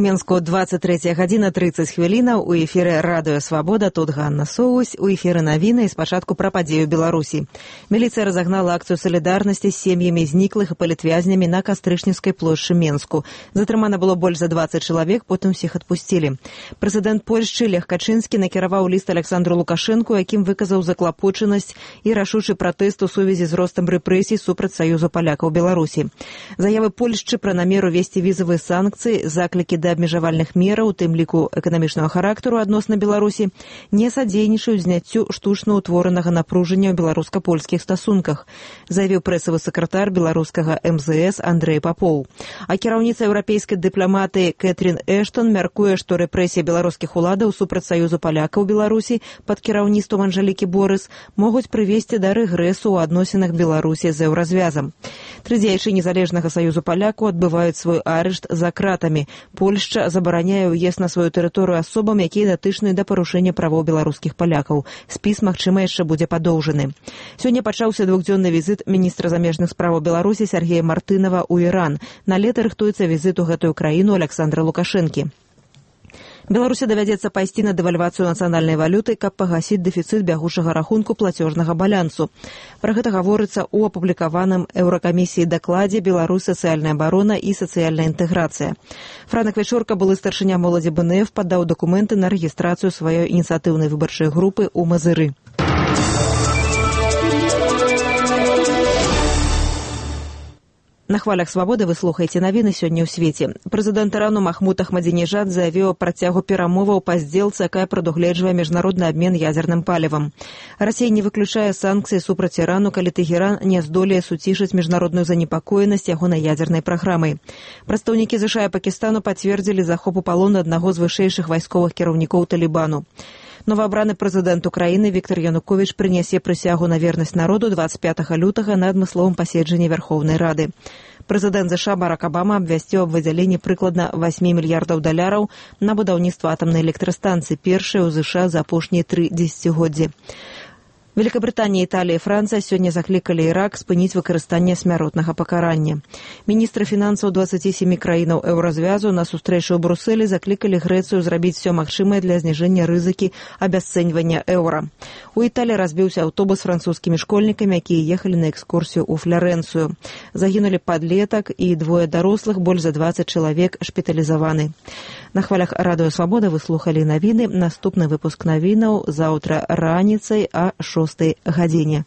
Мінску 23 гадзіна 30 хвілінаў. У эфіры Радыё Свабода. Тут Ганна Соусь. У эфіры навіны і спачатку пра падзею Беларусі. Міліцыя разагнала акцыю салідарнасці з сем'ямі зніклых і палітвязнямі на Кастрычніцкай плошчы Мінску. Затрымана было больш за 20 чалавек, потым усіх адпусцілі. Прэзідэнт Польшчы Лех Качынскі накіраваў ліст Александру Лукашэнку, якім выказаў заклапочанасць і рашучы пратэст у сувязі з ростам рэпрэсій супраць Саюзу палякаў Беларусі. Заявы Польшчы пра намеру весці візавыя санкцыі, заклікі да абмежавальных мераў, у тым ліку эканамічнага характару адносна Беларусі, не садзейнічаюць зняццю штучна ўтворанага напружання ў беларуска-польскіх стасунках, заявіў прэсавы сакратар беларускага МЗС Андрэй Папоў. А кіраўніца еўрапейскай дыпламатыі Кэтрин Эштон мяркуе, што рэпрэсіі беларускіх уладаў супраць Саюзу палякаў Беларусі пад кіраўніцтвам Анжэлікі Борыс могуць прывесці да рэгрэсу ў адносінах Беларусі з еўразвязам. 3 дзеячы незалежнага Саюзу палякаў адбываюць свой арышт за кратамі. Польшча забараняе ўезд на сваю тэрыторыю асобам, якія датычныя да парушэння правоў беларускіх палякаў. Спіс, магчыма, яшчэ будзе падоўжаны. Сёння пачаўся двухдзённы візіт міністра замежных справаў Беларусі Сергея Мартынова ў Іран. На лета рыхтуецца візіт у гэтую краіну Александра Лукашэнкі. Беларусі давядзецца пайсці на дэвальвацыю нацыянальнай валюты, каб пагасіць дэфіцыт бягучага рахунку плацёжнага балансу. Пра гэта гаворыцца ў апублікаваным Еўракамісіі дакладзе «Беларусь. Сацыяльная абарона і сацыяльная інтэграцыя». Франак Вечорка, былы старшыня моладзі БНФ, падаў дакументы на рэгістрацыю сваёй ініцыятыўнай выбарчай групы ў Мазыры. На хвалях свабоды вы слухаеце навіны сёння ў свеце. Прэзідэнт Ірану Махмуд Ахмадзінежад заявіў пра працягу перамоваў па здзелцы, якая прадугледжвае міжнародны абмен ядзерным палівам. Расія не выключае санкцыі супраць Ірану, калі Тэгеран не здолее суцішыць міжнародную занепакоенасць ягонай ядзернай праграмай. Прадстаўнікі ЗША і Пакістану пацвердзілі захоп у палон аднаго з вышэйшых вайсковых кіраўнікоў Талібану. Новаабраны прэзідэнт Украіны Віктор Януковіч прынясе прысягу на вернасць народу 25 лютага на адмысловым паседжанні Вярхоўнай Рады. Прэзідэнт ЗША Барак Абама абвясціў аб выдзяленні прыкладна $8 мільярдаў на будаўніцтва атамнай электрастанцыі, першай у ЗША за апошнія 3 дзесяцігоддзі. Великабрытанія, Італія і Францыя сёння заклікалі Ірак спыніць выкарыстанне смяротнага пакарання. Міністры фінансаў 27 краінаў еўразвязу на сустрэчы ў Брусэлі заклікалі Грэцыю зрабіць все магчымае для зніжэння рызыкі абясцэньвання еўра. У Італіі разбіўся аўтобус з французскімі школьнікамі, якія ехалі на экскурсію ў Флорэнцыю. Загінулі падлетак і 2 дарослых, больш за 20 чалавек шпіталізаваны. На хвалях Радыё Свабода вы слухалі навіны. Наступны выпуск навінаў заўтра раніцай а 6 гадзіне.